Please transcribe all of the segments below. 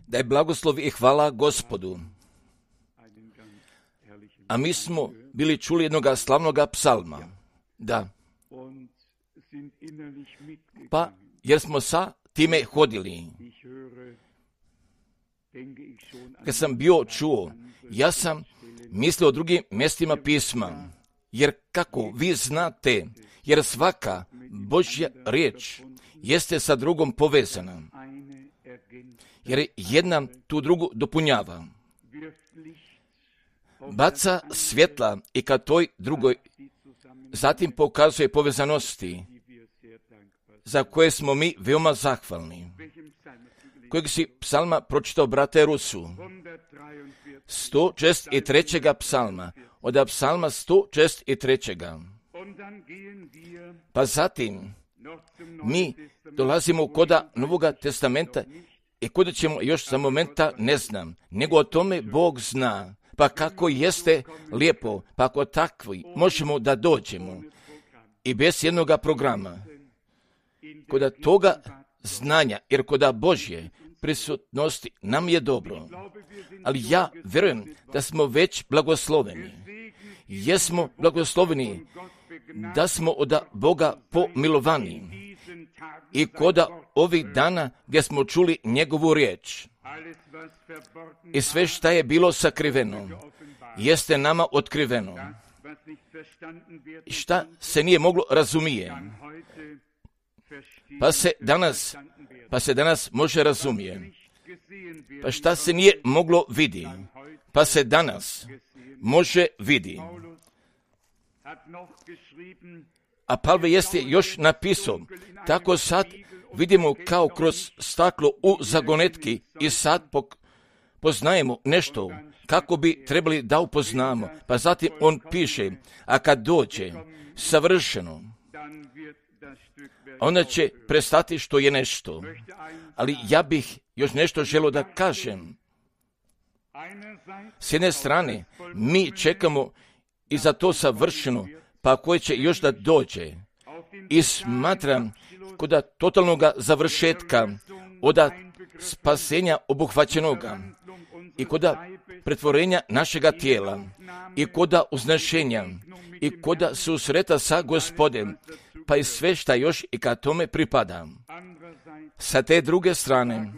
Da je blagoslov i hvala Gospodu. A mi smo bili čuli jednoga slavnoga psalma. Da. Pa, jer smo sa time hodili. Kad sam bio čuo, ja sam mislio o drugim mjestima pisma. Jer kako vi znate, jer svaka Božja riječ jeste sa drugom povezana. Jer jedna tu drugu dopunjava. Baca svjetla i ka toj drugoj, zatim pokazuje povezanosti za koje smo mi veoma zahvalni. Kojeg si psalma pročitao, brate Rusu? 163. psalma, od psalma 163. Pa zatim mi dolazimo koda Novoga testamenta i kuda ćemo još za momenta ne znam, nego o tome Bog zna. Pa kako jeste lijepo, pa ako takvi možemo da dođemo i bez jednoga programa, koda toga znanja, jer koda Božje prisutnosti nam je dobro. Ali ja vjerujem da smo već blagosloveni. Jesmo blagosloveni da smo od Boga pomilovani i koda ovih dana gdje smo čuli njegovu riječ. I sve šta je bilo sakriveno, jeste nama otkriveno. Šta se nije moglo razumije, pa se danas može razumije. Pa šta se nije moglo vidi, pa se danas može vidi. A Pavle jeste još napisao, tako sad vidimo kao kroz staklo u zagonetki i sad poznajemo nešto kako bi trebali da upoznamo. Pa zatim on piše, a kad dođe savršeno, onda će prestati što je nešto. Ali ja bih još nešto želio da kažem. S jedne strane, mi čekamo i za to savršeno, pa koje će još da dođe. I smatram kod totalnog završetka, od spasenja obuhvaćenoga i kod pretvorenja našega tijela i kod uznešenja i kod susreta sa Gospodem, pa i sve šta još i ka tome pripada. Sa te druge strane,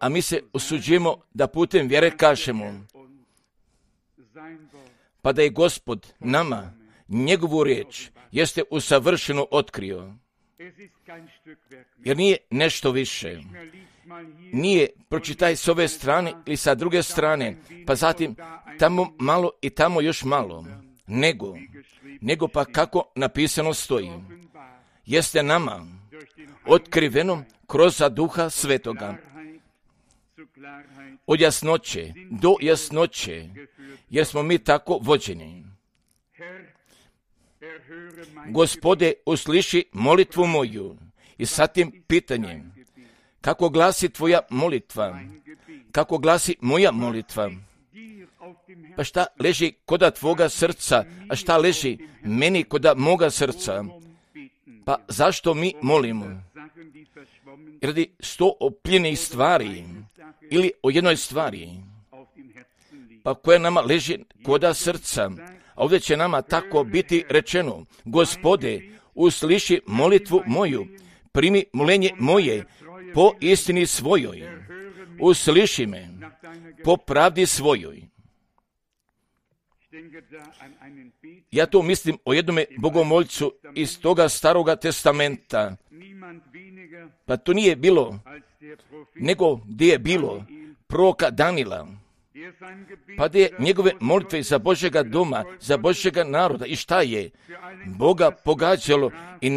a mi se usuđujemo da putem vjere kažemo, pa da je Gospod nama njegovu riječ jeste usavršeno otkrio. Jer nije nešto više. Nije pročitaj s ove strane ili sa druge strane, pa zatim tamo malo i tamo još malo. Nego pa kako napisano stoji. Jeste nama otkriveno kroz Duha Svetoga. Od jasnoće do jasnoće, jer smo mi tako vođeni. Gospode, usliši molitvu moju. I sa tim pitanjem, kako glasi tvoja molitva? Kako glasi moja molitva? Pa šta leži koda tvoga srca, a šta leži meni koda moga srca? Pa zašto mi molimo? Radi 100 opljenih stvari ili o jednoj stvari, pa koja nama leži koda srca. A ovdje će nama tako biti rečeno, Gospode, usliši molitvu moju, primi molenje moje po istini svojoj, usliši me po pravdi svojoj. Ja to mislim o jednome bogomoljcu iz toga staroga testamenta. Pa to nije bilo, nego gdje je bilo proroka Danila. Pa gdje je njegove molitve za Božjega doma, za Božjega naroda. I šta je? Boga pogađalo i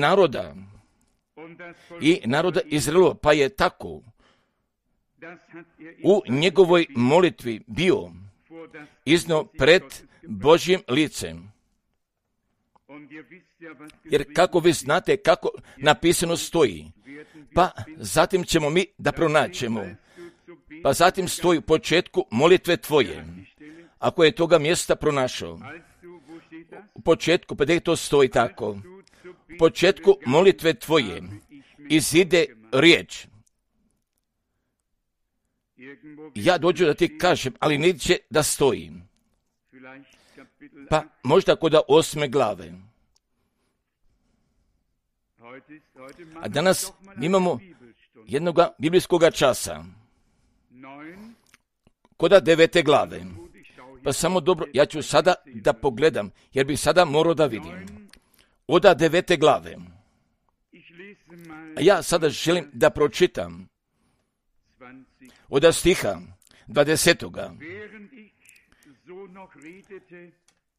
naroda Izraelova. Pa je tako u njegovoj molitvi bio iznio pred Božjim licem. Jer kako vi znate kako napisano stoji, pa zatim ćemo mi da pronaćemo. Pa zatim stoji u početku molitve tvoje. Ako je toga mjesta pronašao, u početku, pa gdje to stoji tako? U početku molitve tvoje izide riječ. ja dođu da ti kažem, ali neće da stojim. Pa možda kod 8. glave. A danas imamo jednog biblijskog časa. Kod 9. glave. Pa samo dobro, ja ću sada da pogledam, jer bih sada morao da vidim. Od 9. glave. A ja sada želim da pročitam od stiha 20.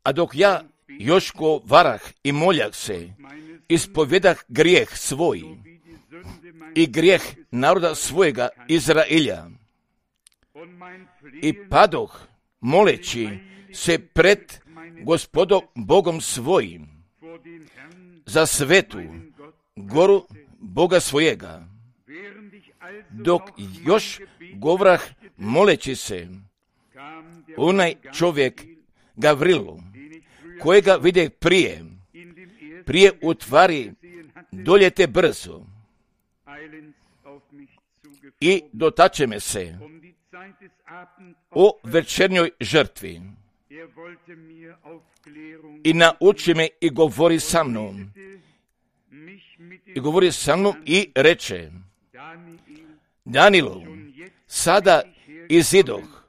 A dok ja još govarah i moljah se, ispovjedah grijeh svoj i grijeh naroda svojega Izraelja. I padoh moleći se pred Gospodom Bogom svojim za svetu goru Boga svojega. Dok još govorah moleći se, onaj čovjek Gavrilu, kojega vide prije u tvari doljete brzo i dotače me se o večernjoj žrtvi i nauči me i govori sa mnom. I reče, Danielu, sada izidoh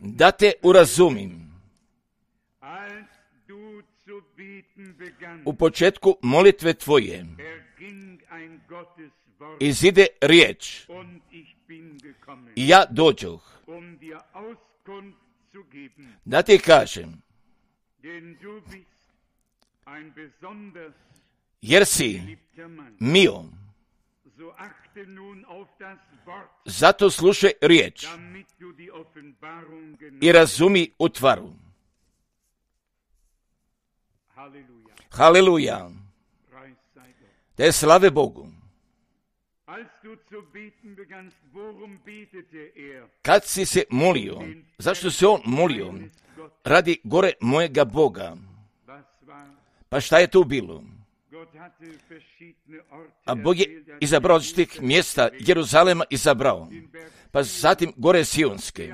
da te urazumim. U početku molitve tvoje izide riječ i ja dođoh da ti kažem, jer si mio, zato slušaj riječ i razumi utvaru. Haleluja. Te slave Bogu. Kad si se molio, zašto se on molio? Radi gore mojega Boga. Pa šta je tu bilo? A Bog je izabrao različitih mjesta, Jeruzalema izabrao, pa zatim gore Sionske,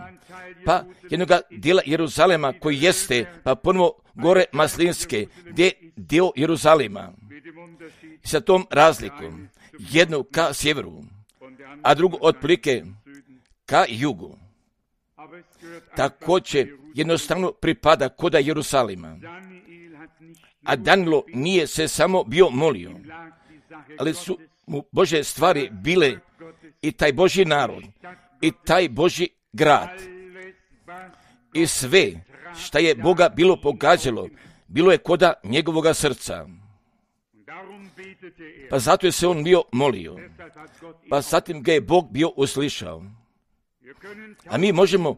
pa jednoga dijela Jeruzalema koji jeste, pa ponovo gore Maslinske, gdje je dio Jeruzalema. I sa tom razlikom, jednu ka sjeveru, a drugu otprilike ka jugu. Također jednostavno pripada koda Jeruzalema. A Danilo nije se samo bio molio, ali su mu Božje stvari bile i taj Božji narod, i taj Božji grad. I sve šta je Boga bilo pogađalo, bilo je koda njegovoga srca. Pa zato je se on bio molio. Pa zatim ga je Bog bio uslišao. A mi možemo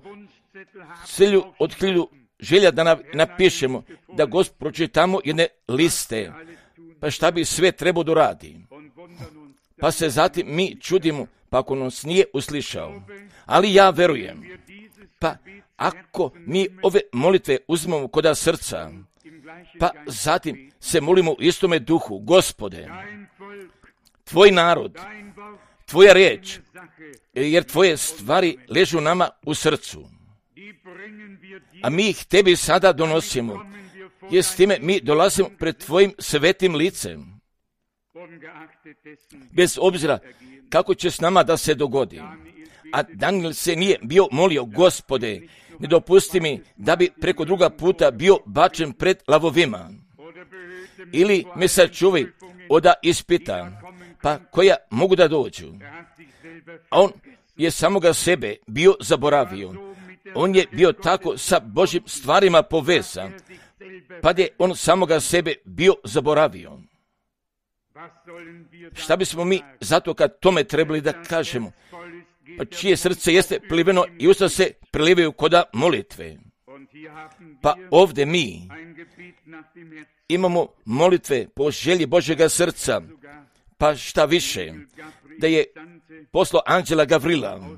od 1000 želja da napišemo, da Gospod pročitamo jedne liste, pa šta bi sve trebao da radi. Pa se zatim mi čudimo, pa ako nas nije uslišao. Ali ja verujem, pa ako mi ove molitve uzmemo koda srca, pa zatim se molimo u istome duhu, Gospode, tvoj narod, tvoja riječ, jer tvoje stvari ležu nama u srcu. A mi ih tebi sada donosimo, jer s time mi dolazimo pred tvojim svetim licem. Bez obzira kako će s nama da se dogodi. A Daniel se nije bio molio, Gospode, ne dopusti mi da bi preko druga puta bio bačen pred lavovima. Ili me sačuvaj od ispita, pa koja mogu da dođu. A on je samoga sebe bio zaboravio. On je bio tako sa Božjim stvarima povezan, pa je on samoga sebe bio zaboravio. Šta bismo mi zato kad tome trebali da kažemo? Pa čije srce jeste pliveno i usta se prelivaju koda molitve. Pa ovdje mi imamo molitve po želji Božjega srca, pa šta više, da je poslao anđela Gavrila,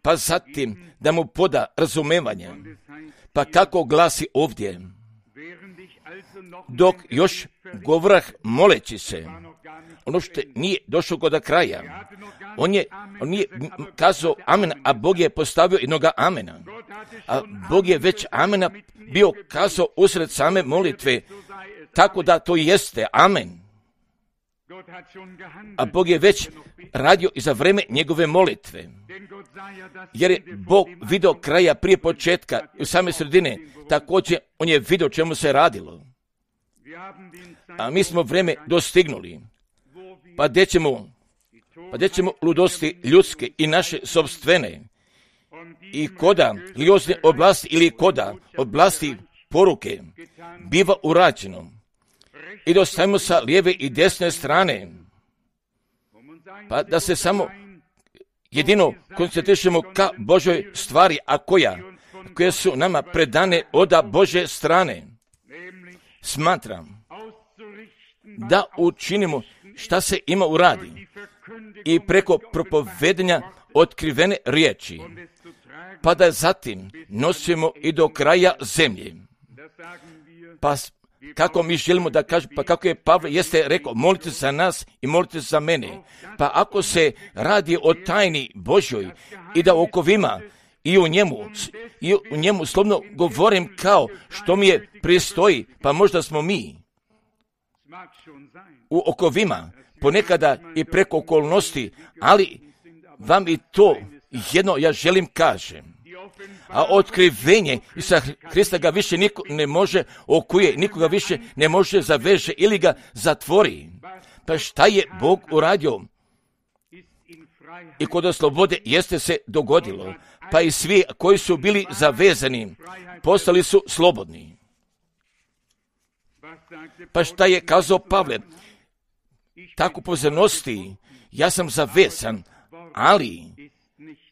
pa zatim da mu poda razumevanje. Pa kako glasi ovdje? Dok još govorah moleći se, ono što nije došlo kod kraja, On nije kazao amen, a Bog je postavio jednoga amena. A Bog je već amena bio kazao usred same molitve, tako da to jeste amen. A Bog je već radio i za vreme njegove molitve. Jer je Bog vidio kraja prije početka i same sredine, također on je vidio čemu se radilo. A mi smo vreme dostignuli. Pa gdje ćemo ludosti ljudske i naše sopstvene i koda liozne oblasti ili koda oblasti poruke biva urađeno i dostavimo sa lijeve i desne strane, pa da se samo jedino koncentrišemo ka Božoj stvari, a koje su nama predane od Bože strane. Smatram da učinimo šta se ima uradi i preko propovedanja otkrivene riječi, pa da zatim nosimo i do kraja zemlje. Pa kako mi želimo da kažemo, pa kako je Pavle jeste rekao, molite za nas i molite za mene. Pa ako se radi o tajni Božoj i da okovima i u njemu slobodno govorim kao što mi je pristoji, pa možda smo mi u okovima, ponekada i preko okolnosti, ali vam i to jedno ja želim kažem. A otkrivenje Isusa Hrista ga više niko ne može okuje, nikoga više ne može zaveže ili ga zatvori. Pa šta je Bog uradio? I kod slobode jeste se dogodilo, pa i svi koji su bili zavezani postali su slobodni. Pa šta je kazao Pavle? Tako pozornosti, ja sam zavezan, ali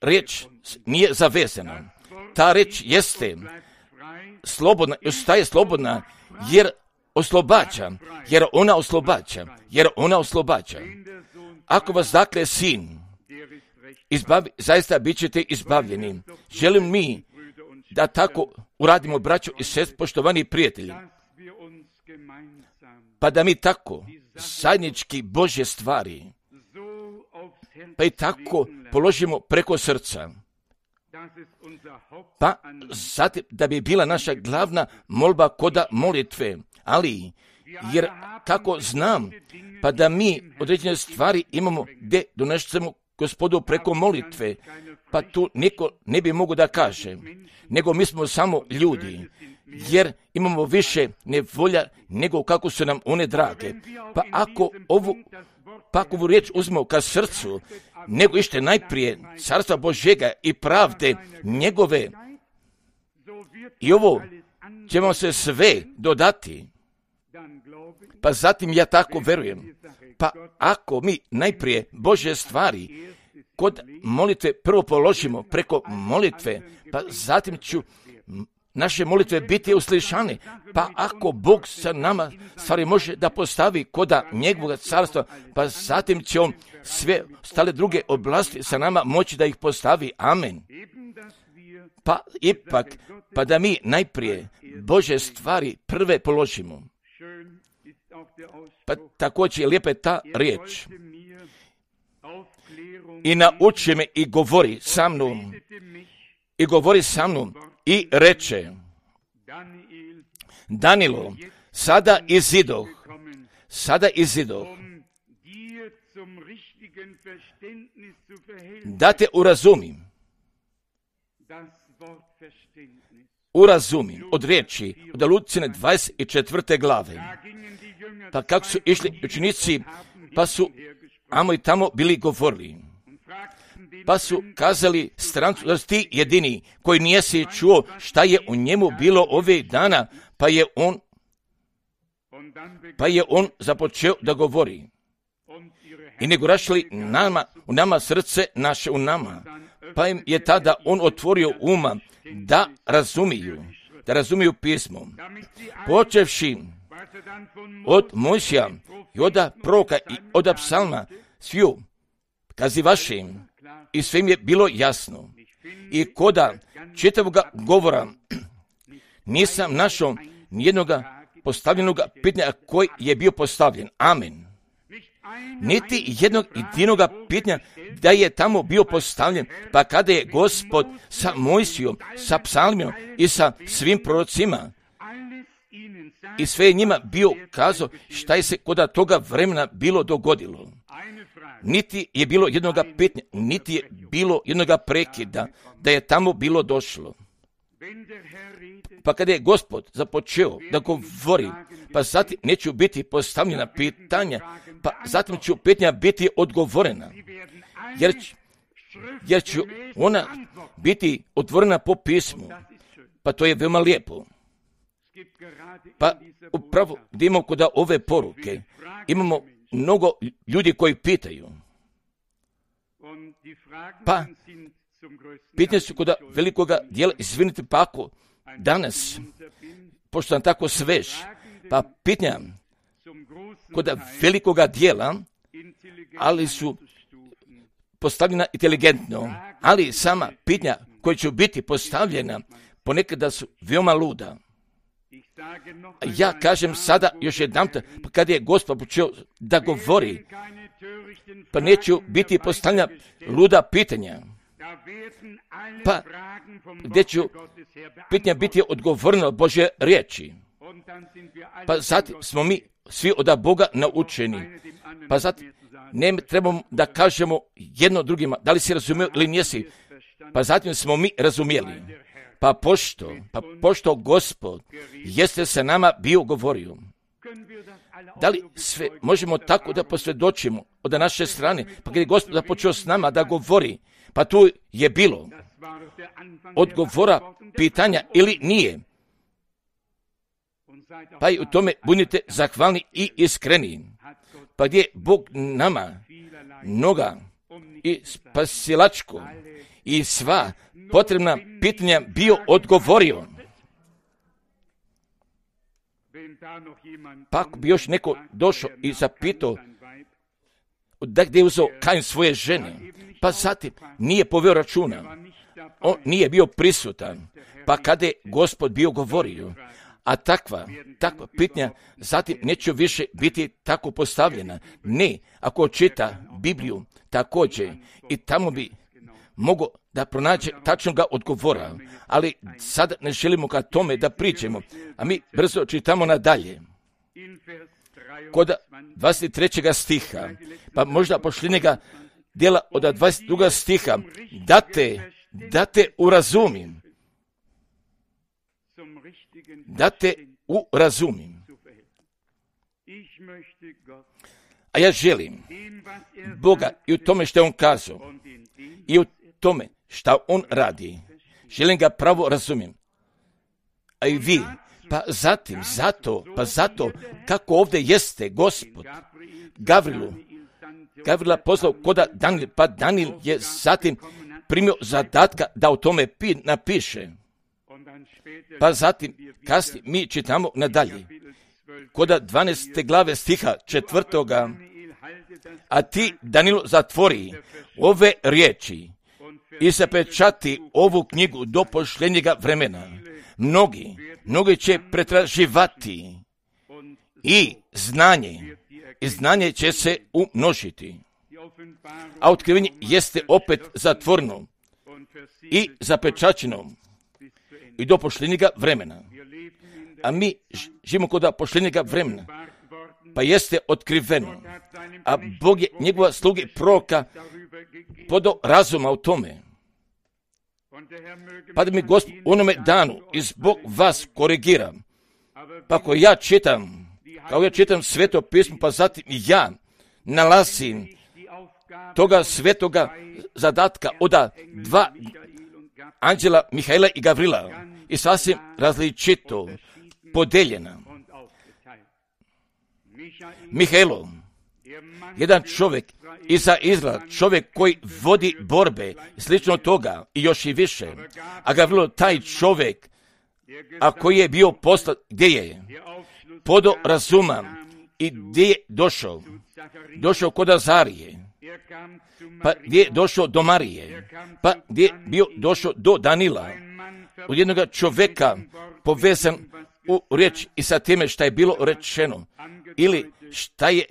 riječ nije zavezana. Ta riječ jeste slobodna, ostaje slobodna, jer ona oslobađa. Ako vas dakle sin izbavi, zaista bit ćete izbavljeni. Želim mi da tako uradimo, braćo i sestre, poštovani prijatelji, pa da mi tako zajednički Božje stvari, pa i tako položimo preko srca, pa zatim da bi bila naša glavna molba koda molitve, ali jer kako znam, pa da mi određene stvari imamo gdje donesemo Gospodu preko molitve, pa tu niko ne bi mogao da kaže, nego mi smo samo ljudi, jer imamo više nevolja nego kako su nam one drage. Pa ako ovu riječ uzmemo ka srcu, nego ište najprije carstva Božjega i pravde njegove, i ovo će vam se sve dodati. Pa zatim ja tako verujem. Pa ako mi najprije Božje stvari kod molitve prvo položimo preko molitve, pa zatim ću naše molitve biti uslišane. Pa ako Bog sa nama stvari može da postavi koda njegovog carstva, pa zatim će on sve ostale druge oblasti sa nama moći da ih postavi. Amen. Pa ipak, pa da mi najprije Božje stvari prve položimo. Pa također je lijepa ta riječ. I nauči me i govori sa mnom i reče: Danilo, sada izidoh da te urazumim od riječi od Lucine 24. glave. Pa kako su išli učenici, pa su amo i tamo bili govorili. Pa su kazali strancu da si ti jedini koji nisi čuo šta je u njemu bilo ove dana, pa je on započeo da govori. I nego rašli u nama srce naše u nama. Pa im je tada on otvorio uma da razumiju pismo. Počevši od Mojsija i od proroka i od psalma, sviju kazivašim, i sve im je bilo jasno. I koda čitavoga govora nisam našao nijednoga postavljenoga pitanja koji je bio postavljen. Amen. niti jednog jedinoga pitanja da je tamo bio postavljen, pa kada je Gospod sa Mojsijom, sa psalmima i sa svim prorocima i sve je njima bio kazao šta je se kod toga vremena bilo dogodilo. Niti je bilo jednoga pitanja, niti je bilo jednoga prekida da je tamo bilo došlo. Pa kada je Gospod započeo da govori, pa zatim neće biti postavljena pitanja, pa zatim će pitanja biti odgovorena, jer će ona biti otvorena po pismu. Pa to je veoma lijepo. Pa upravo gdje imamo kod ove poruke, imamo mnogo ljudi koji pitaju. Pa pitanje su kod velikoga dijela, izvinite pa ako danas, pošto sam tako svež, pa pitanja kod velikoga dijela, ali su postavljena inteligentno, ali sama pitanja koja će biti postavljena ponekada su veoma luda. Ja kažem sada još jedanput, pa kad je Gospod počeo da govori, pa neće biti postavljena luda pitanja, pa gdje će pitanja biti odgovoreno od Božje riječi. Pa zatim smo mi svi od Boga naučeni, pa zatim ne trebamo da kažemo jedno drugima, da li si razumio ili nisi, pa zatim smo mi razumjeli. Pa pošto Gospod jeste sa nama bio govorio. Da li sve možemo tako da posvjedočimo od naše strane, pa kad je Gospod započeo s nama da govori, pa tu je bilo odgovora pitanja ili nije. Pa i u tome budite zahvalni i iskreni. Pa gdje Bog nama mnoga i spasilačko i sva potrebna pitanja bio odgovorio. Pa ako bi još neko došao i zapitao da gdje je uzeo Kain svoje žene, pa zatim nije poveo računa, on nije bio prisutan, pa kada je Gospod bio govorio, a takva pitanja zatim neće više biti tako postavljena. Ne, ako čita Bibliju također i tamo bi mogo da pronađe tačnoga odgovora, ali sad ne želimo ka tome da pričamo, a mi brzo čitamo nadalje. Kod 23. stiha, pa možda pošljenjega dijela od 22. stiha, da te urazumim. Da te urazumim. A ja želim Boga i u tome što je On kazao, i u tome što On radi, želim ga pravo razumijem. A i vi, pa zato, kako ovdje jeste Gospod Gavrila poslao koda Danil, pa Danil je zatim primio zadatka da o tome napiše. Pa zatim, kasnije, mi čitamo nadalje, koda 12. glave stiha 4. A ti, Danilo, zatvori ove riječi i zapečati ovu knjigu do pošljenjega vremena. Mnogi će pretraživati i znanje će se umnožiti. A otkrivenje jeste opet zatvoreno i zapečaćeno i do pošljenjega vremena. A mi živimo kod pošljenjega vremena, pa jeste otkriveno. A Bog je njegova sluge proroka podao razuma u tome. Pa da mi Gospod u onome danu i zbog vas korigira. Pa ako ja čitam sveto pismo, pa zatim ja nalazim toga svetoga zadatka od dva anđela Mihaila i Gavrila i sasvim različito podeljena. Mihajlo, jedan čovjek iza Izraela, čovjek koji vodi borbe, slično toga i još i više. A Gavrilo, taj čovjek, a koji je bio poslat, gdje je? Podo razuma i gdje je došao? Došao kod Azarije, pa gdje je došao do Marije, pa gdje je bio došao do Danila, od jednog čovjeka povezan u riječ i sa time što je bilo rečeno, ili šta je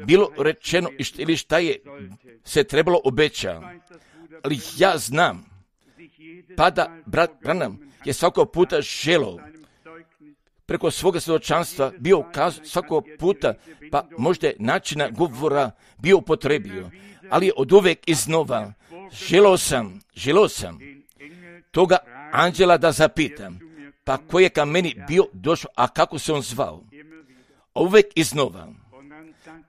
bilo rečeno ili šta je se trebalo obećati. Ali ja znam, pa da brat Branham je svakog puta želio preko svoga svjedočanstva bio ukazao svakog puta, pa možda načina govora bio upotrebio, ali od uvijek iznova želio sam toga anđela da zapitam, pa ko je ka meni bio došao, a kako se on zvao? Uvijek iznova.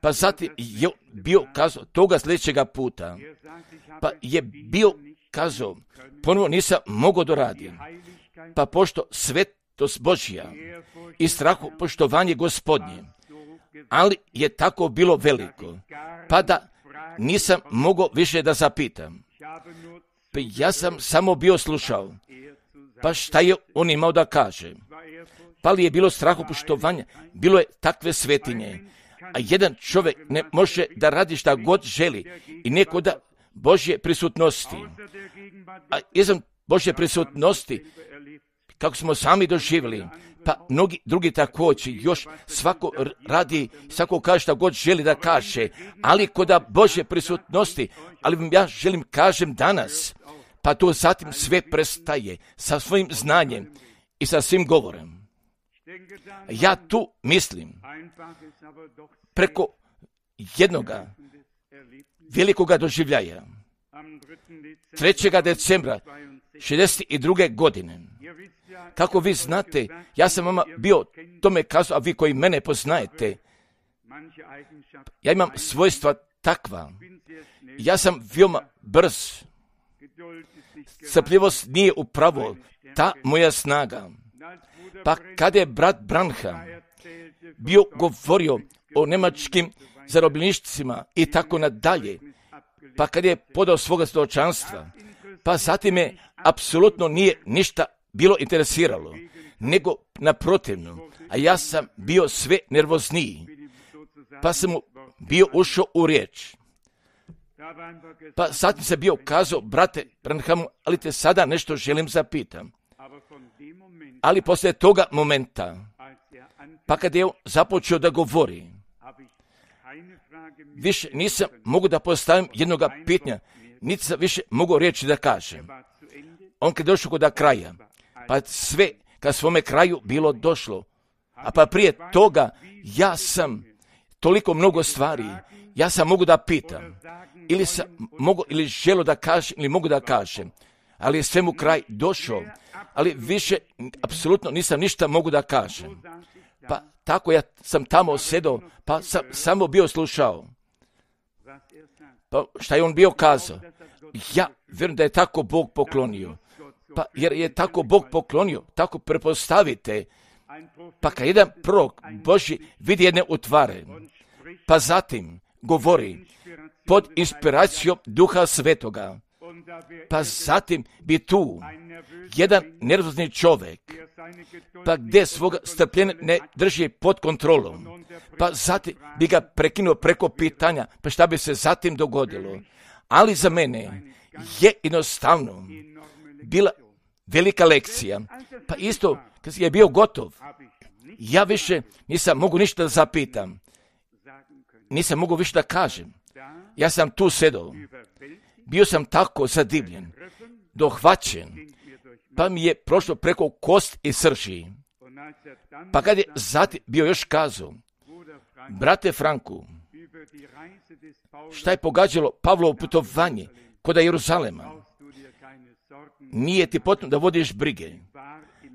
Pa zatim je bio kazao toga sljedećega puta, pa je bio kazao, ponovo nisam mogao doraditi, pa pošto svetost Božja i strahu poštovanje Gospodnje, ali je tako bilo veliko, pa da nisam mogao više da zapitam. Pa ja sam samo bio slušao, pa šta je on imao da kaže? Pa li je bilo strahu poštovanja? Bilo je takve svetinje, a jedan čovjek ne može da radi šta god želi i neko da Božje prisutnosti. A izvan Božje prisutnosti, kako smo sami doživjeli, pa mnogi drugi također, još svako radi, svako kaže šta god želi da kaže, ali kod Božje prisutnosti, ali vam ja želim kažem danas, pa to zatim sve prestaje sa svojim znanjem i sa svim govorem. Ja tu mislim preko jednoga velikoga doživljaja 3. decembra 62. godine. Kako vi znate, ja sam vama bio tome kazao, a vi koji mene poznajete, ja imam svojstva takva. Ja sam veoma brz. Strpljivost nije upravo ta moja snaga. Pa kada je brat Branham bio govorio o njemačkim zarobljeništvima i tako nadalje, pa kada je podao svoga svjedočanstva, pa zatim me apsolutno nije ništa bilo interesiralo, nego naprotivno, a ja sam bio sve nervozniji, pa sam mu bio ušao u riječ. Pa zatim se bio kazao, brate Branhamu, ali te sada nešto želim zapitam. Ali poslije toga momenta, pa kad je on započeo da govori, više nisam mogu da postavim jednoga pitanja, niti sam više mogu reći da kažem. On kad je došao kod kraja, pa sve ka svome kraju bilo došlo, a pa prije toga ja sam toliko mnogo stvari, ja sam mogu da pitam, ili sam mogu, ili želo da kažem, ili mogu da kažem, ali je svemu kraj došao, ali više apsolutno nisam ništa mogu da kažem. Pa tako ja sam tamo sedao, pa sam samo bio slušao. Pa šta je on bio kazao? Ja vjerujem da je tako Bog poklonio. Pa jer je tako Bog poklonio, tako prepostavite. Pa kad jedan prorok Božji vidi jedne utvare, pa zatim govori pod inspiracijom Duha Svetoga, pa zatim bi tu jedan nervozni čovjek, pa gdje svoga strpljenja ne drži pod kontrolom, pa zatim bi ga prekinuo preko pitanja, pa šta bi se zatim dogodilo. Ali za mene je jednostavno bila velika lekcija, pa isto kad je bio gotov, ja više nisam mogu ništa da zapitam, nisam mogu više da kažem. Ja sam tu sedao, bio sam tako zadivljen, dohvaćen, pa mi je prošlo preko kost i srži. Pa kad je zatim bio još kazao, brate Franku, šta je pogađalo Pavlovo putovanje kod Jeruzalema? Nije ti potrebno da vodiš brige,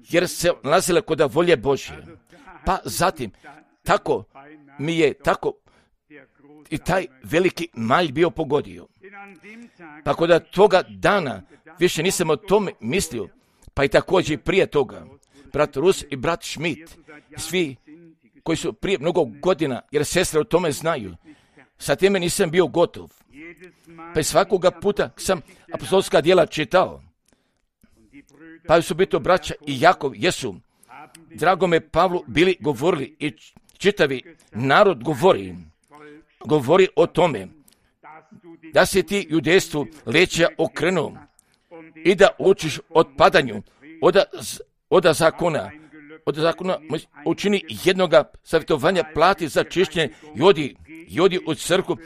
jer se nalazile kod volje Božje. Pa zatim, tako mi je tako i taj veliki malj bio pogodio. Pa kod toga dana više nisam o tome mislio, pa i također prije toga. Brat Rus i brat Schmidt, svi koji su prije mnogo godina, jer sestre o tome znaju, sa time nisam bio gotov. Pa i svakoga puta sam apostolska djela čitao. Pa su biti braća i Jakov jesu, dragome Pavlu, bili govorili i čitavi narod govori o tome da se ti judejstvu leđa okrenuo i da učiš od padanju od zakona, od zakona učini jednoga savjetovanja, plati za čišćenje i odi u crkvu,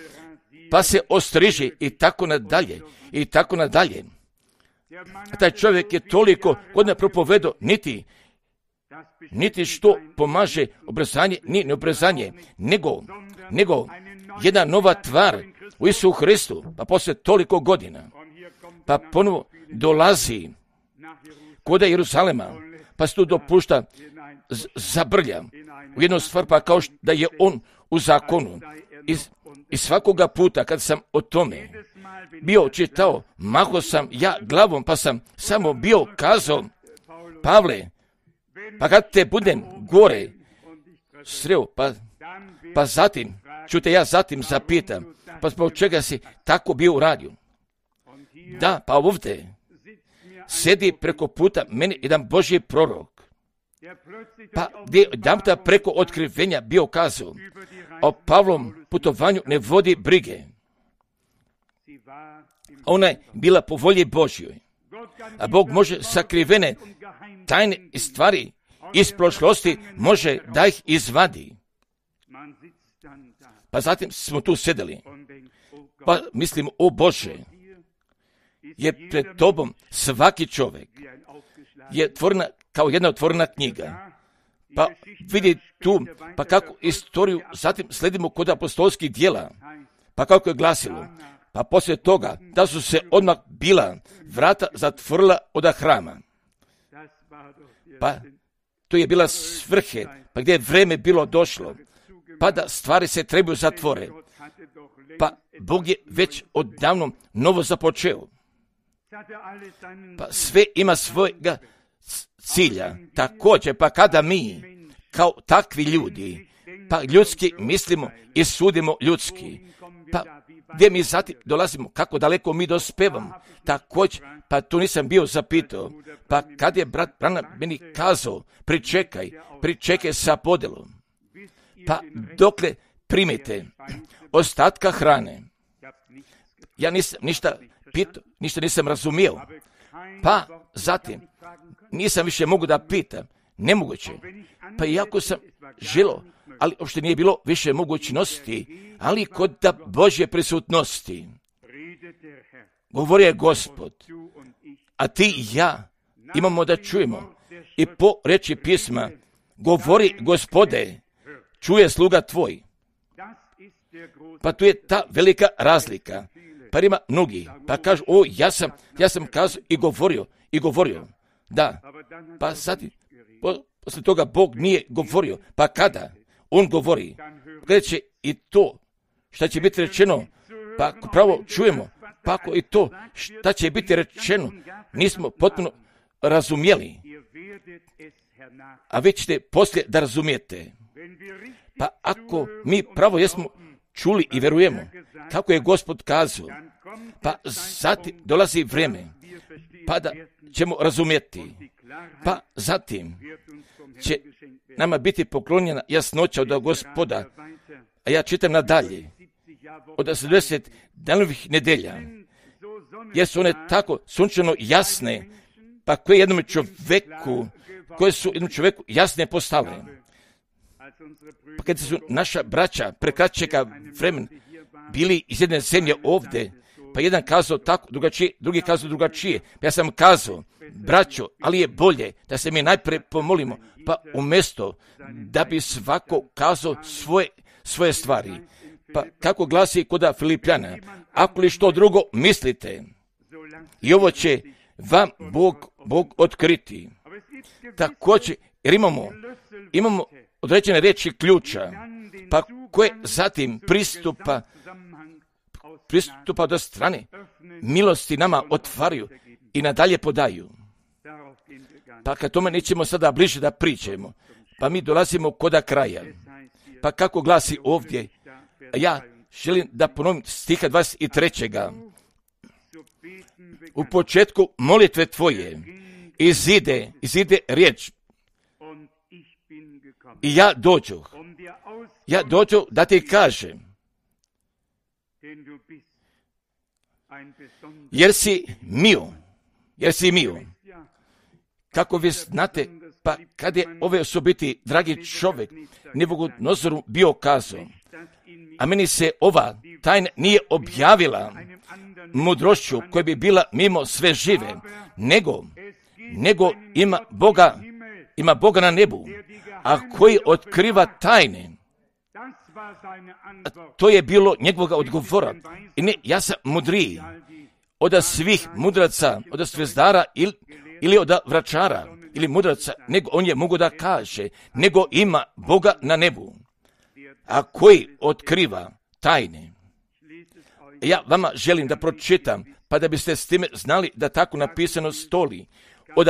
pa se ostriži i tako nadalje, i tako nadalje. A taj čovjek je toliko godina propovedao, niti što pomaže obrazanje, ni neobrazanje, nego jedna nova tvar u Isusu Hristu, pa poslije toliko godina, pa ponovo dolazi kod Jeruzalema, pa se tu dopušta zabrlja u jednu stvar, pa kao da je on u zakonu. I svakoga puta kad sam o tome bio čitao, maho sam ja glavom, pa sam samo bio kazao, Pavle, pa kad te budem gore sreo, pa zatim, čujte, ja zatim zapitam, pa zbog čega si tako bio uradio? Da, pa ovdje sedi preko puta meni jedan Božji prorok, pa gdje jedanputa preko otkrivenja bio kazao, o Pavlom putovanju ne vodi brige. Ona je bila po volji Božjoj, a Bog može sakrivene tajne stvari iz prošlosti, može da ih izvadi. Pa zatim smo tu sedeli, pa mislim, o Bože, je pred tobom svaki čovjek je tvorena kao jedna otvorena knjiga. Pa vidi tu, pa kako istoriju zatim sledimo kod apostolskih djela, pa kako je glasilo, pa poslije toga da su se odmah bila vrata zatvorila od hrama. Pa to je bila svrhe, pa gdje je vreme bilo došlo, pa da stvari se trebaju zatvore. Pa Bog je već odavno novo započeo. Pa sve ima svojega cilja. Također, pa kada mi, kao takvi ljudi, pa ljudski mislimo i sudimo ljudski, pa gdje mi zatim dolazimo, kako daleko mi dospevamo, također, pa tu nisam bio zapitao, pa kad je brat Branham meni kazao, pričekaj sa podelom, pa dokle primite ostatka hrane. Ja nisam ništa pitao, ništa nisam razumio, pa zatim nisam više mogu da pitam, nemoguće, pa iako sam želio, ali uopšte nije bilo više mogućnosti, ali kod da Božje prisutnosti govorio je Gospod, a ti i ja imamo da čujemo i po reči pisma, govori Gospode, čuje sluga tvoj. Pa tu je ta velika razlika. Pa ima mnogi, pa kažu, o, ja sam kazao i govorio, da, pa sad, poslije toga Bog nije govorio, pa kada on govori, kada će i to, šta će biti rečeno, pa pravo čujemo, pa ako i to, šta će biti rečeno, nismo potpuno razumjeli, a vi ćete poslije da razumijete. Pa ako mi pravo jesmo čuli i verujemo, kako je Gospod kazao, pa zatim dolazi vrijeme, pa da ćemo razumjeti, pa zatim će nama biti poklonjena jasnoća od Gospoda, a ja čitam nadalje, od 70 danovih nedelja, jer su one tako sunčano jasne, pa koje su jednom čovjeku jasne postale. Pa kad su naša braća prekraćega vremena bili iz jedne zemlje ovdje, pa jedan kazao tako drugačije, drugi kazao drugačije. Ja sam kazao, braćo, ali je bolje da se mi najprije pomolimo, pa umjesto da bi svako kazao svoje stvari. Pa kako glasi kod Filipljana, ako li što drugo mislite, i ovo će vam Bog otkriti. Također, jer imamo određene riječi ključa, pa koje zatim pristupa do strane milosti nama otvaraju i nadalje podaju. Pa kad tome nećemo sada bliže da pričamo, pa mi dolazimo koda kraja. Pa kako glasi ovdje, ja želim da ponovim stiha 23. U početku molitve tvoje izide riječ i ja dođu da ti kažem, jer si mio. Kako vi znate, Pa kad je ove osobiti, dragi čovjek, Nabukodnozoru bio kazao, a meni se ova tajna nije objavila mudrošću koja bi bila mimo sve žive, nego ima Boga na nebu, a koji otkriva tajne. To je bilo njegovog odgovora. I ne, ja sam mudriji od svih mudraca, od zvezdara ili od vračara ili mudraca, nego on je mogu da kaže, nego ima Boga na nebu, a koji otkriva tajne. Ja vama želim da pročitam, pa da biste s time znali da tako napisano stoli od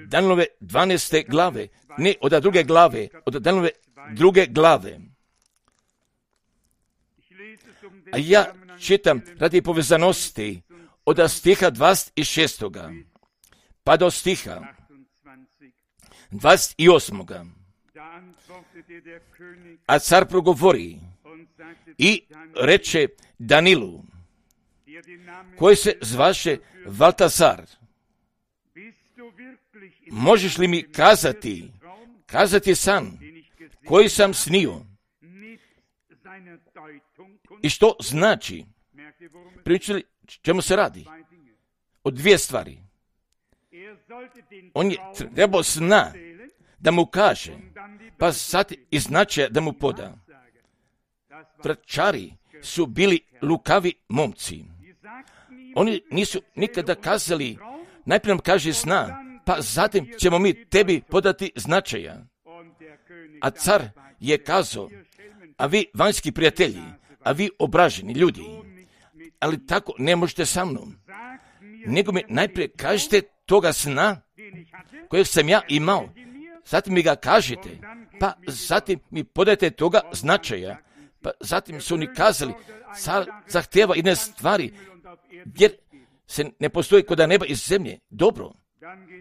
Danielove 12. glave, ne od druge glave, od Danielove 2. glave. A ja čitam radi povezanosti od stiha 26. pa do stiha 28. A car progovori i reče Danilu, koji se zvaše Valtazar, možeš li mi kazati san koji sam snio i što znači? Pričali čemu se radi? O dvije stvari. On je trebao sna da mu kaže, pa sad i značaja da mu poda. Vračari su bili lukavi momci. Oni nisu nikada kazali, najprije nam kaže sna, pa zatim ćemo mi tebi podati značaja. A car je kazao, a vi vanjski prijatelji, a vi obraženi ljudi, ali tako ne možete sa mnom. Nego mi najprije kažete toga sna kojeg sam ja imao, zatim mi ga kažete, pa zatim mi podajte toga značaja. Pa zatim su oni kazali, car zahtjeva jedne stvari, jer se ne postoji kod neba i zemlje. Dobro,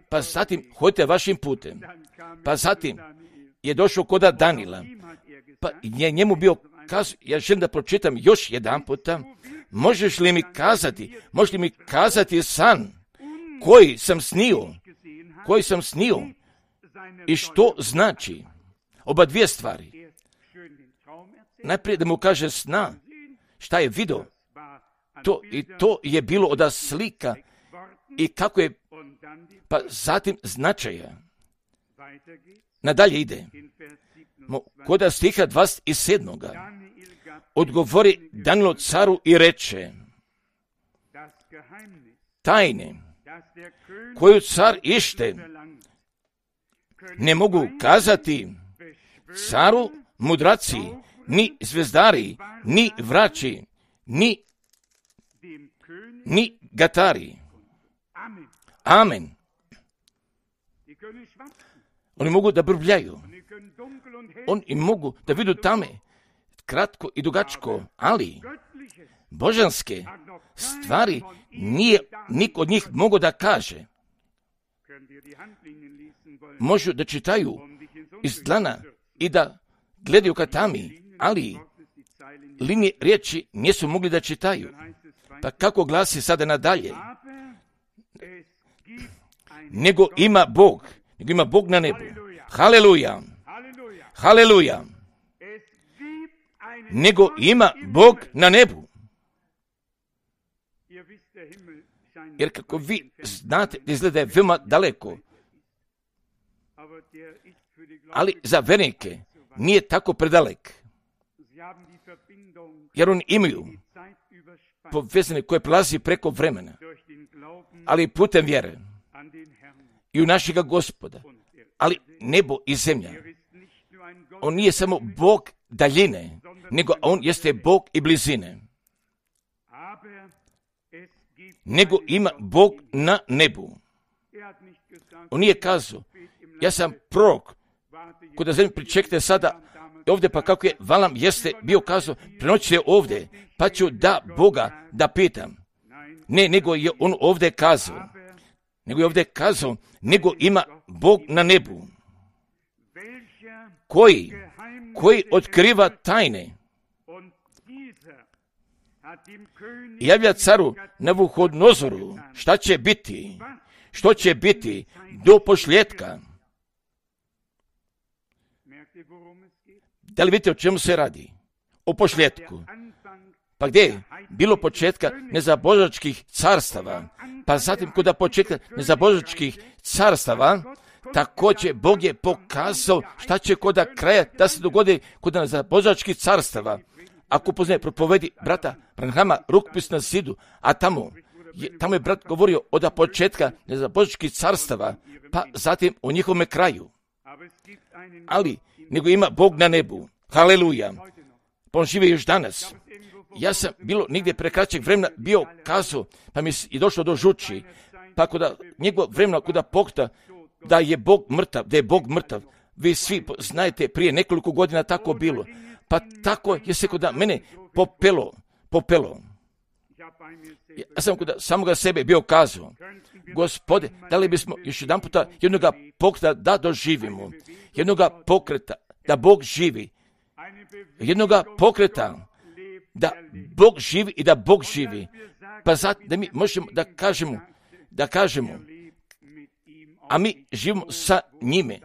pa zatim hodite vašim putem. Pa zatim je došao kod Danila, pa je njemu bio kazao, ja želim da pročitam još jedan puta, možeš li mi kazati san koji sam snio i što znači? Oba dvije stvari. Najprije da mu kaže sna, šta je vidio, to je bilo od slika i kako je, pa zatim značaja. Nadalje ide. Kod stiha 27. odgovori Danilo caru i reče, tajne koju car ište ne mogu kazati caru mudraci, ni zvezdari, ni vrači, ni gatari. Amen. Oni mogu da brbljaju. Oni mogu da vidu tame kratko i dugačko, ali božanske stvari nije niko od njih mogu da kaže. Možu da čitaju iz dlana i da gledaju ka tami, ali linije riječi nisu mogli da čitaju. Pa kako glasi sada nadalje? Nego ima Bog na nebu. Haleluja! Haleluja! Nego ima Bog na nebu. Jer kako vi znate, izgleda je veoma daleko. Ali za vernike nije tako predalek. Jer oni imaju povezane koje prelazi preko vremena. Ali putem vjere i u našega Gospoda. Ali nebo i zemlja. On nije samo Bog daljine, nego on jeste Bog i blizine. Nego ima Bog na nebu. On nije kazao, ja sam prorok, kod zemlje pričekajte sada ovdje, pa kako je Valam jeste bio kazao, prenoćite ovdje, pa ću da Boga da pitam. Ne, nego je on ovdje kazao, nego ima Bog na nebu, koji otkriva tajne. Javlja caru Nabukodnozoru što će biti do posljetka. Da li vidite o čemu se radi? O pošljetku. Pa gdje je bilo početka nezabožačkih carstava? Pa zatim kod početka nezabožačkih carstava, također Bog je pokazao šta će kod kraja da se dogodi kod nezabožačkih carstava. Ako poznaje propovedi brata Branhama Rukopis na zidu, a tamo je brat govorio od početka nezabožačkih carstava, pa zatim o njihovome kraju. Ali, nego ima Bog na nebu. Haleluja. Pa on živi još danas. Ja sam bilo nigdje pre kraćeg vremena bio kazao, pa mi je došlo do žuči, pa kod njegov vremena kod pokta, da je Bog mrtav, vi svi znajte, prije nekoliko godina tako bilo, pa tako je se kod mene popelo. Ja sam kod samoga sebe bio kazao, Gospode, da li bismo još jedan puta jednoga pokreta da doživimo, jednoga pokreta, da Bog živi, jednoga pokreta, da Bog živi i da Bog živi, pa zato da mi možemo da kažemo, a mi živimo sa njime.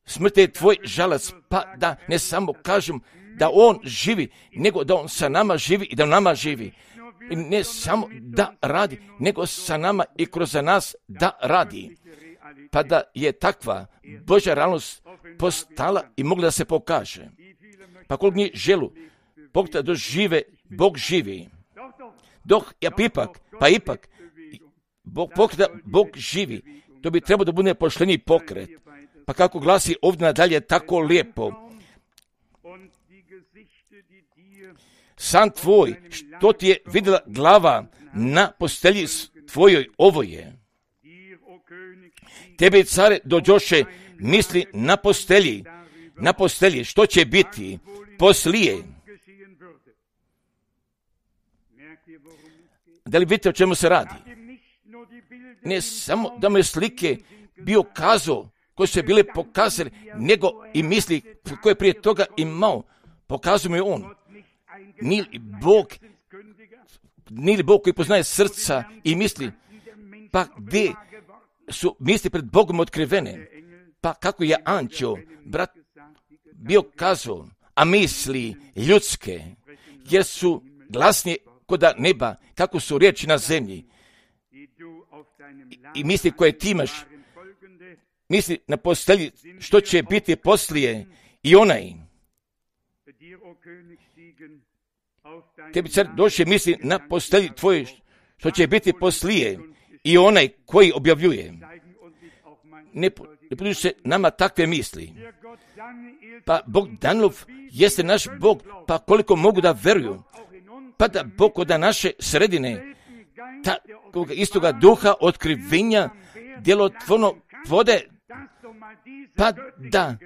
Smrt je tvoj žalac, pa da ne samo kažem da on živi, nego da on sa nama živi i da nama živi. I ne samo da radi, nego sa nama i kroz nas da radi. Pa da je takva Božja realnost postala i mogla da se pokaže. Pa koliko mi želu, Bog da dožive, Bog živi. Dok ja ipak, Bog živi, to bi trebalo da bude pošteniji pokret. Pa kako glasi ovdje nadalje tako lijepo. San tvoj, što ti je vidjela glava na postelji tvojoj, ovo je. Tebe, care, dođoše misli na postelji, što će biti poslije. Da li vidite o čemu se radi? Ne samo da mu je slike bio kazao, koje su bile pokazali, nego i misli koje prije toga imao, pokazuje mi on. Nije li Bog koji poznaje srca i misli, pa gdje su misli pred Bogom otkrivene, pa kako je anđeo, brat, bio kazao, a misli ljudske, jer su glasnije kod neba, kako su riječi na zemlji. I misli koje ti imaš, misli na postelji što će biti poslije i onaj. Tebi, car, došće misli na postelji tvoje što će biti poslije i onaj koji objavljuje. Ne budući se nama takve misli. Pa Bog Danilov jeste naš Bog, pa koliko mogu da veruju. Pa da Bog od naše sredine, takvog istoga duha otkrivenja, djelotvorno vode, pa da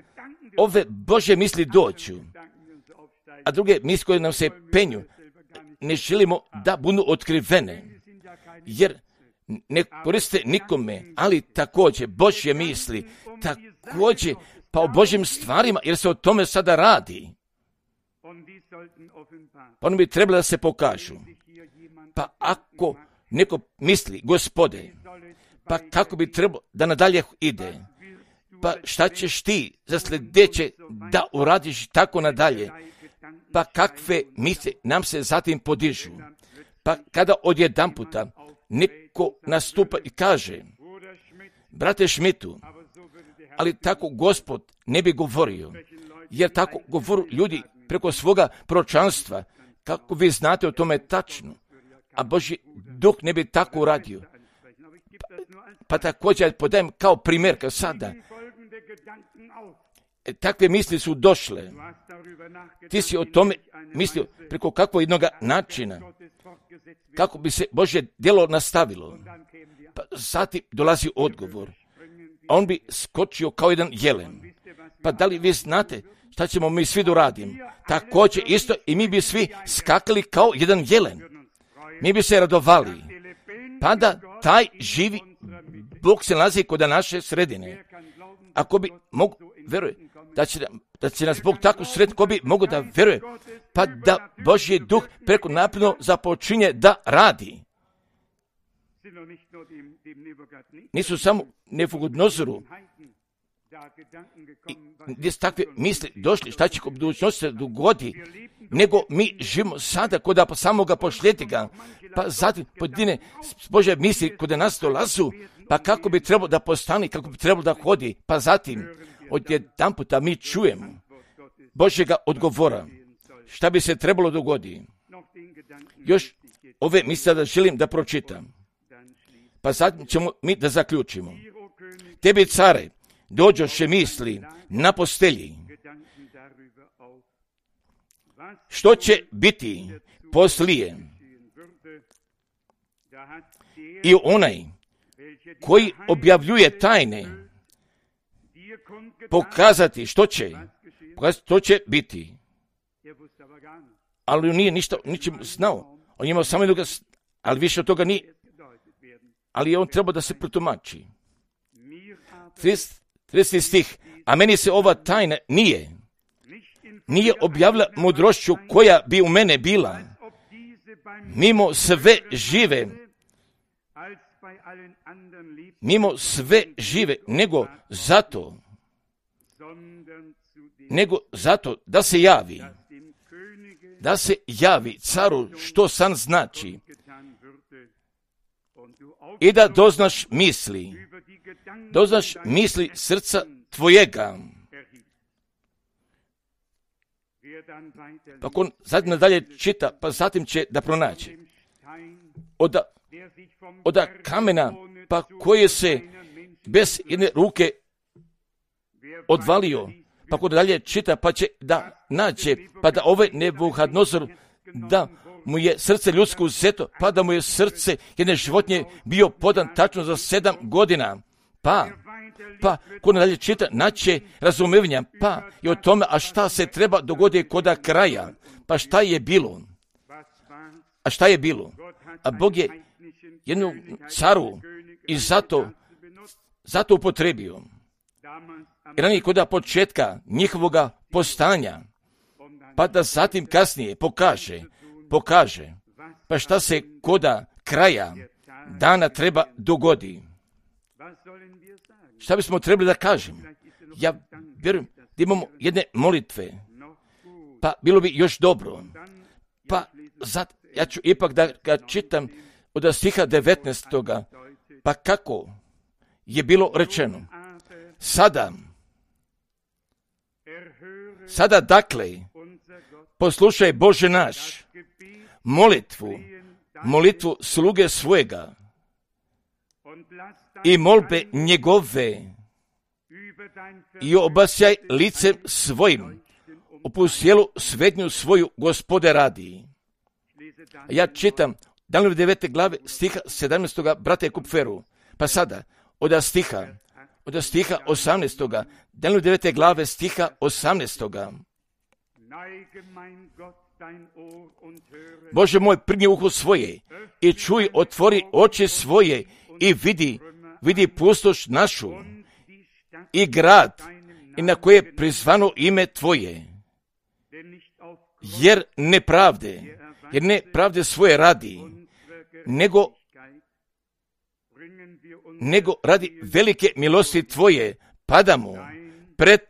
ove Božje misli dođu. A druge misli koje nam se penju, ne želimo da budu otkrivene, jer ne koriste nikome, ali također Božje misli, također pa o Božjim stvarima, jer se o tome sada radi. Pa ono bi trebalo da se pokažu. Pa ako neko misli, Gospode, pa kako bi trebalo da nadalje ide, pa šta ćeš ti za sljedeće da uradiš tako nadalje, pa kakve misli nam se zatim podižu. Pa kada odjedanputa neko nastupa i kaže, brate Šmitu, ali tako Gospod ne bi govorio, jer tako govoru ljudi preko svoga proročanstva, kako vi znate o tome tačno, a Božji duh ne bi tako uradio. Pa također podajem kao primjer, kao sada, takve misli su došle. Ti si o tome mislio preko kakvog jednog načina, kako bi se Božje djelo nastavilo. Pa zatim dolazi odgovor. A on bi skočio kao jedan jelen. Pa da li vi znate šta ćemo mi svi doraditi? Također isto i mi bi svi skakali kao jedan jelen. Mi bi se radovali. Pa da taj živi Bog se nalazi kod naše sredine. Ako bi mogu vjeruje da će nas Bog tako srediti, ko bi mogu da vjeruje, pa da Božji duh preko napredno započinje da radi. Nisu samo Nebuhadnezaru gdje su takve misli došli, šta će u budućnosti se dogodi, nego mi živimo sada kod samoga pošljetnika, pa zatim pojedine Božje misli kod nas dolazu, pa kako bi trebalo da postane, kako bi trebalo da hodi, pa zatim odjedanputa mi čujemo Božjega odgovora, šta bi se trebalo dogoditi. Još ove misle da želim da pročitam, pa zatim ćemo mi da zaključimo. Tebi, care, dođoše misli na postelji, što će biti poslije, i onaj koji objavljuje tajne pokazati što će biti. Ali on nije ničim znao. On imao samo jednog, ali više od toga nije. Ali on treba da se protumači. 30. stih. A meni se ova tajna nije objavila mudrošću koja bi u mene bila. Mimo sve žive, nego zato da se javi caru što san znači i da doznaš misli srca tvojega. Pa on zatim nadalje čita, pa zatim će da pronaći od kamena, pa koje se bez jedne ruke odvalio, pa ko dalje čita, pa će da nađe, pa da Nebuhadnezzar, da mu je srce ljudsko uzeto, pa da mu je srce jedne životinje bio podan tačno za 7 godina, pa ko dalje čita, naće razumevanja, pa i o tome, a šta se treba dogoditi koda kraja, pa šta je bilo, a Bog je jednu caru i zato upotrebio. I ranije koda početka njihovoga postanja, pa da zatim kasnije pokaže, pa šta se koda kraja dana treba dogodi. Šta bismo trebali da kažemo? Ja vjerujem da imamo jedne molitve, pa bilo bi još dobro. Pa ja ću ipak da ga čitam od stiha 19. Pa kako je bilo rečeno? Sada dakle, poslušaj Bože naš, molitvu sluge svojega i molbe njegove i obasjaj licem svojim u sjelu svetnju svoju Gospode radi. Ja čitam Danijelove 9. glave stiha 17. brate Kupferu, pa sada od stiha 18. Danijelove 9. glave stiha 18. Bože moj, prigni uho svoje i čuj, otvori oči svoje i vidi pustoš našu i grad i na koje je prizvano ime Tvoje, jer nepravde svoje radi, nego radi velike milosti Tvoje padamo pred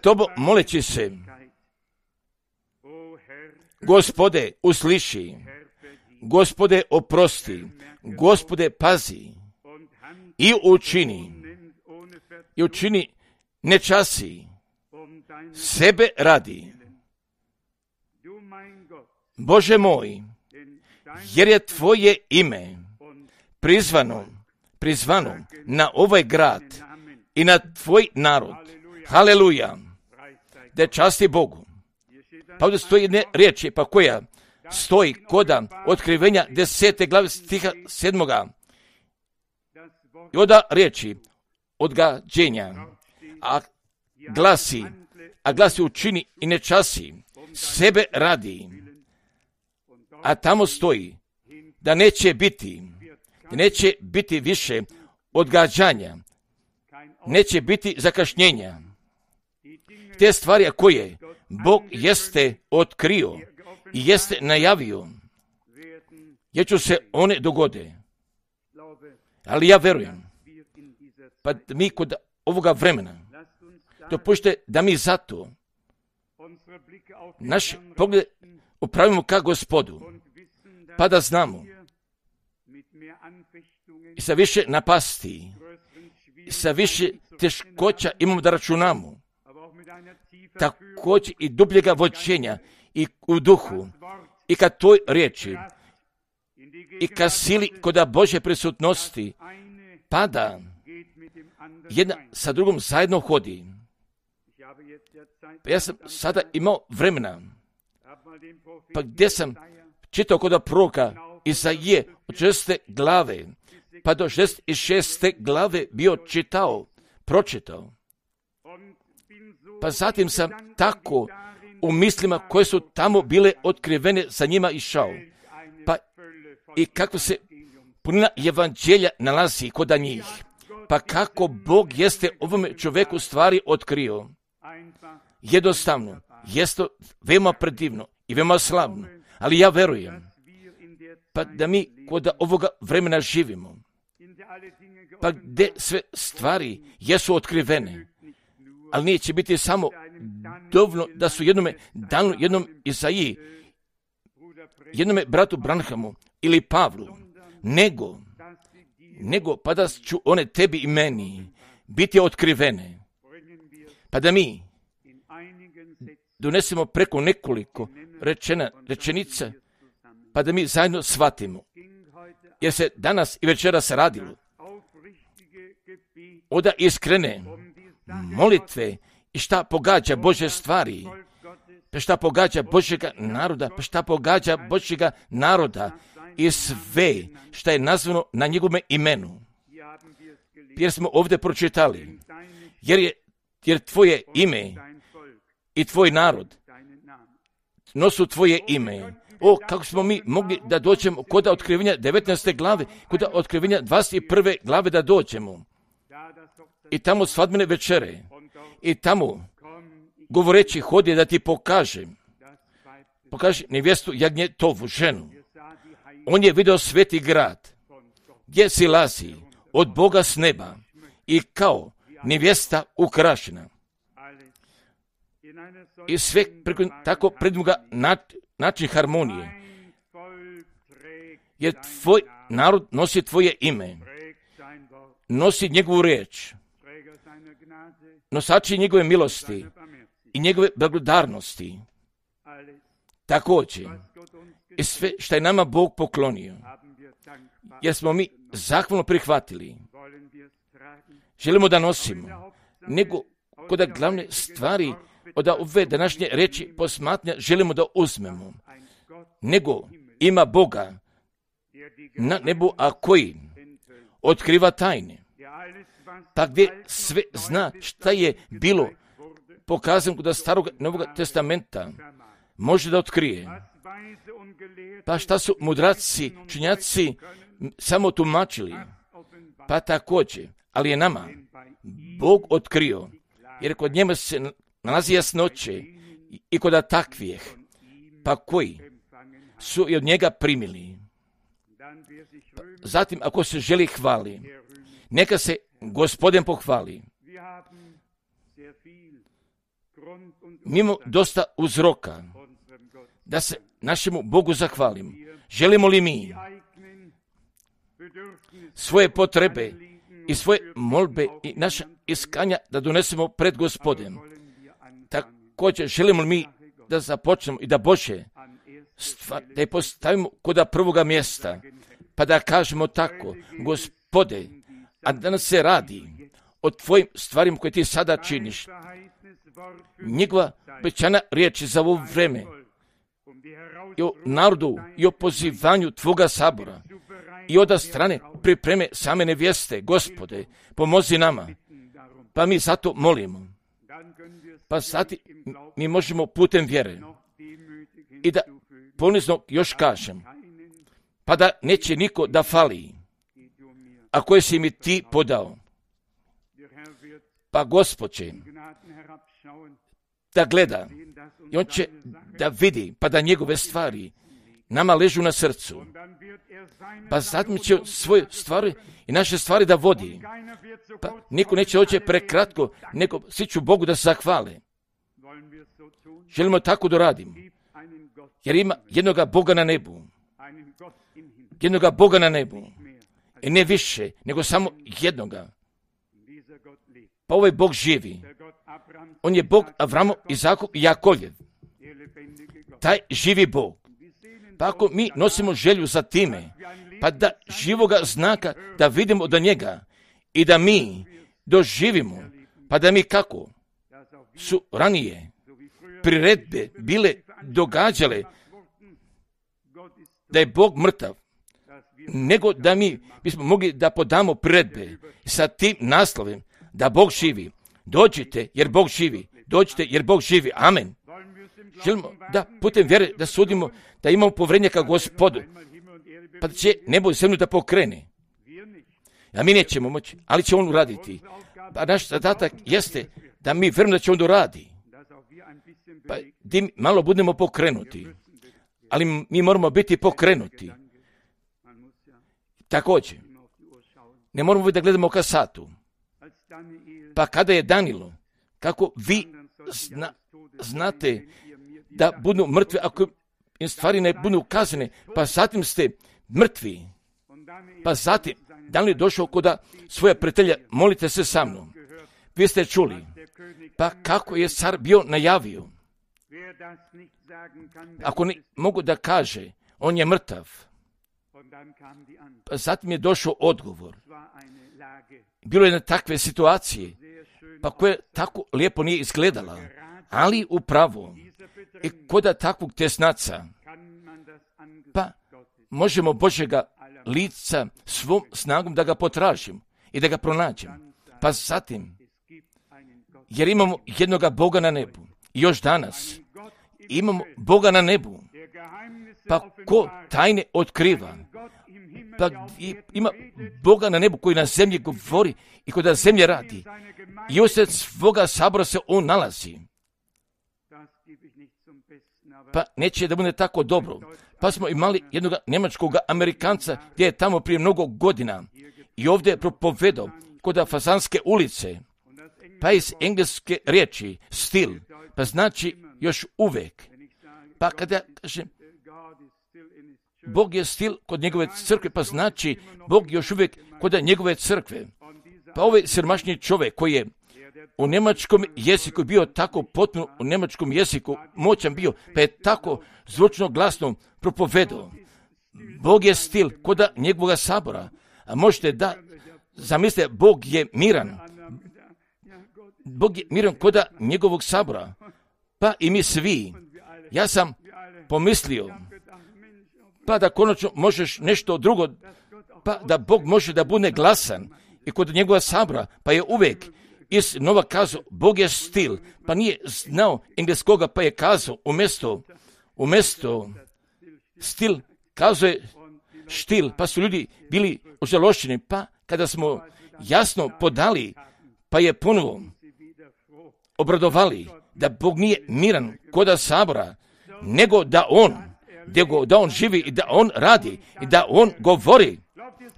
Tobom moleći se. Gospode, usliši, Gospode, oprosti, Gospode, pazi i učini nečasi sebe radi. Bože moj, jer je Tvoje ime prizvano na ovaj grad i na Tvoj narod. Haleluja, da časti Bogu. Pa ovdje stoji jedne riječi, pa koja stoji koda otkrivenja 10. glave stiha 7. I oda riječi odgađenja, a glasi učini i nečasi sebe radi. A tamo stoji da neće biti više odgađanja, neće biti zakašnjenja. Te stvari koje Bog jeste otkrio i jeste najavio, jer će se one dogode. Ali ja verujem Pa mi kod ovoga vremena dopušte da mi zato naš pogled upravimo ka Gospodu, pa da znamo i sa više napasti, i sa više teškoća imamo da računamo, također i dubljega vođenja i u duhu, i ka toj riječi, i ka sili koda Božje prisutnosti, pa da jedna sa drugom zajedno hodi. Pa ja sam sada imao vremena, pa gdje sam čitao koda proroka Izaije od 6. glave, pa do 66. glave bio pročitao. Pa zatim sam tako u mislima koje su tamo bile otkrivene za njima išao. Pa i kako se punina evanđelja nalazi kod njih. Pa kako Bog jeste ovome čovjeku stvari otkrio. Jednostavno, jeste veoma predivno i veoma slavno, ali ja verujem pa da mi kod ovoga vremena živimo, pa gdje sve stvari jesu otkrivene, ali neće biti samo dovoljno da su jednome danu, jednom Izaiji, jednome bratu Branhamu ili Pavlu, nego pa da ću one tebi i meni biti otkrivene, pa da mi donesemo preko nekoliko rečenica, pa da mi zajedno shvatimo, jer se danas i večeras radilo oda iskrene molitve i šta pogađa Božje stvari, pa šta pogađa Božjega naroda, pa šta pogađa Božjega naroda i sve šta je nazvano na njegovome imenu. Jer smo ovdje pročitali, jer tvoje ime i tvoj narod nosu tvoje ime. O, kako smo mi mogli da dođemo kod otkrivenja 19. glave, kod otkrivenja 21. glave da dođemo. I tamo svadbene večere. I tamo govoreći hodi da ti pokaže nevjestu jagnjetovu ženu. On je vidio sveti grad, gdje silazi od Boga s neba i kao nevjesta ukrašena. I sve tako predmuga način harmonije. Jer tvoj narod nosi tvoje ime, nosi njegovu riječ, nosači njegove milosti i njegove blagodarnosti. Također, i sve što je nama Bog poklonio, jer smo mi zahvalno prihvatili, želimo da nosimo, nego kod glavne stvari od ove današnje reči posmatnja želimo da uzmemo, nego ima Boga na nebu, a koji otkriva tajne, pa gdje sve zna šta je bilo pokazano kod starog Novog testamenta, može da otkrije. Pa šta su mudraci, činjaci samo tumačili, pa također, ali je nama Bog otkrio, jer kod njega se nalazi jasnoće i kod takvih, pa koji su i od njega primili. Pa zatim, ako se želi hvali, neka se Gospodin pohvali. Mi imamo dosta uzroka da se našemu Bogu zahvalimo. Želimo li mi svoje potrebe i svoje molbe i naša iskanja da donesemo pred Gospodem? Također želimo li mi da započnemo i da Bože da je postavimo kod prvoga mjesta, pa da kažemo tako: Gospode, a danas se radi o tvojim stvarima koje ti sada činiš. Njegova obećana riječ za ovo vreme i o narodu i o pozivanju tvoga sabora i od strane pripreme same nevjeste. Gospode, pomozi nama, pa mi zato molimo. Pa sad mi možemo putem vjere i da ponizno još kažem, pa da neće niko da fali, a koje si mi ti podao. Pa Gospod će da gleda i on će da vidi, pa da njegove stvari nama ležu na srcu. Pa zatim će svoje stvari i naše stvari da vodi. Pa niko neće doći prekratko, nego svi ću Bogu da se zahvale. Želimo tako da radimo. Jer ima jednoga Boga na nebu. Jednoga Boga na nebu. I ne više, nego samo jednoga. Pa ovaj Bog živi. On je Bog Avramo, Izakov i Jakovljev. Taj živi Bog. Pa ako mi nosimo želju za time, pa da živoga znaka da vidimo do njega i da mi doživimo, pa da mi kako su ranije priredbe bile događale da je Bog mrtav, nego da mi bismo mogli da podamo priredbe sa tim naslovem da Bog živi. Dođite jer Bog živi. Dođite jer Bog živi. Amen. Želimo da putem vjere da sudimo, da imamo povjerenje ka Gospodu, pa da će nebo i zemlju da pokrene. A mi nećemo moći, ali će on uraditi. Pa naš zadatak jeste da mi vjerujemo da će on uradi. Pa da malo budemo pokrenuti, ali mi moramo biti pokrenuti. Također, ne moramo da gledamo ka satu. Pa kada je danilo, kako vi znate da budu mrtvi ako im stvari ne budu ukazane, pa zatim ste mrtvi. Pa zatim, Danilo je došao kod svoja prijatelja, molite se sa mnom. Vi ste čuli, pa kako je car bio najavio. Ako ne mogu da kaže, on je mrtav. Pa zatim je došao odgovor. Bilo je na takve situacije, pa koje tako lijepo nije izgledala, ali upravo i kod takvog tesnaca, pa možemo Božjega lica svom snagom da ga potražim i da ga pronađem. Pa zatim, jer imamo jednoga Boga na nebu, i još danas imamo Boga na nebu, pa ko tajne otkriva, pa ima Boga na nebu koji na zemlji govori i koji na zemlji radi. I usred svoga sabora se on nalazi. Pa neće da bude tako dobro. Pa smo imali jednog njemačkog Amerikanca gdje je tamo prije mnogo godina i ovdje je propovedao kod Fazanske ulice, pa iz engleske riječi stil, pa znači još uvek. Pa kada ja kažem Bog je stil kod njegove crkve, pa znači Bog još uvijek kod njegove crkve. Pa ovaj siromašni čovjek koji je u njemačkom jeziku bio tako potpuno u njemačkom jeziku moćan bio, pa je tako zvučno glasno propovedao. Bog je stil kod njegovog sabora, a možete da zamislite, Bog je miran. Bog je miran kod njegovog sabora, pa i mi svi. Ja sam pomislio, pa da konačno možeš nešto drugo, pa da Bog može da bude glasan i kod njegova sabora, pa je uvijek iz Nova kazao, Bog je stil, pa nije znao engleskoga, pa je kazao umjesto stil, kazao je štil, pa su ljudi bili ožalošćeni, pa kada smo jasno podali, pa je ponovo obradovali da Bog nije miran kod sabora, nego da on živi i da on radi i da on govori.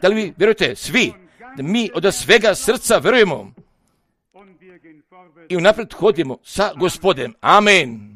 Da li vi vjerujete svi da mi od svega srca vjerujemo i unaprijed hodimo sa Gospodem? Amen.